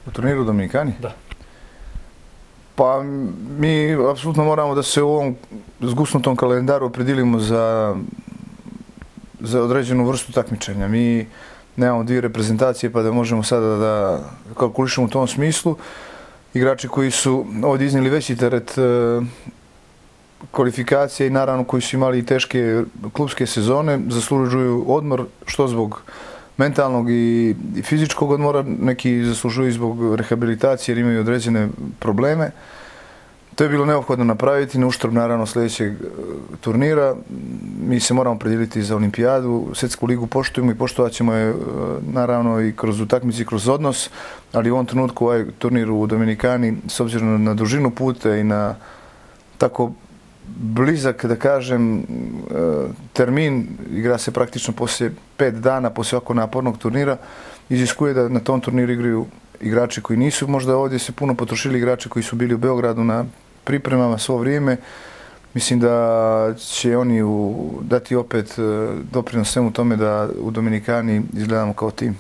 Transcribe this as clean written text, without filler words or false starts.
U turniru u Dominikani? Da. Pa mi apsolutno moramo da se u ovom zgusnutom kalendaru opredijelimo za određenu vrstu takmičenja. Mi nemamo dvije reprezentacije pa da možemo sada da kalkulišemo u tom smislu. Igrači koji su ovdje iznijeli veći teret kvalifikacije i naravno koji su imali teške klubske sezone zaslužuju odmor, što zbog mentalnog i fizičkog odmora, neki zaslužuju zbog rehabilitacije jer imaju određene probleme. To je bilo neophodno napraviti na uštrb naravno sljedećeg turnira. Mi se moramo predijeliti za olimpijadu, svjetsku ligu poštujemo i poštovat ćemo je naravno i kroz utakmice i kroz odnos, ali u ovom trenutku ovaj turnir u Dominikani s obzirom na dužinu puta i na tako blizak, da kažem, termin, igra se praktično poslije 5 dana, poslije ovako napornog turnira, iziskuje da na tom turniru igraju igrači koji nisu možda ovdje se puno potrošili, igrači koji su bili u Beogradu na pripremama svo vrijeme. Mislim da će oni dati opet doprinos svemu tome da u Dominikani izgledamo kao tim.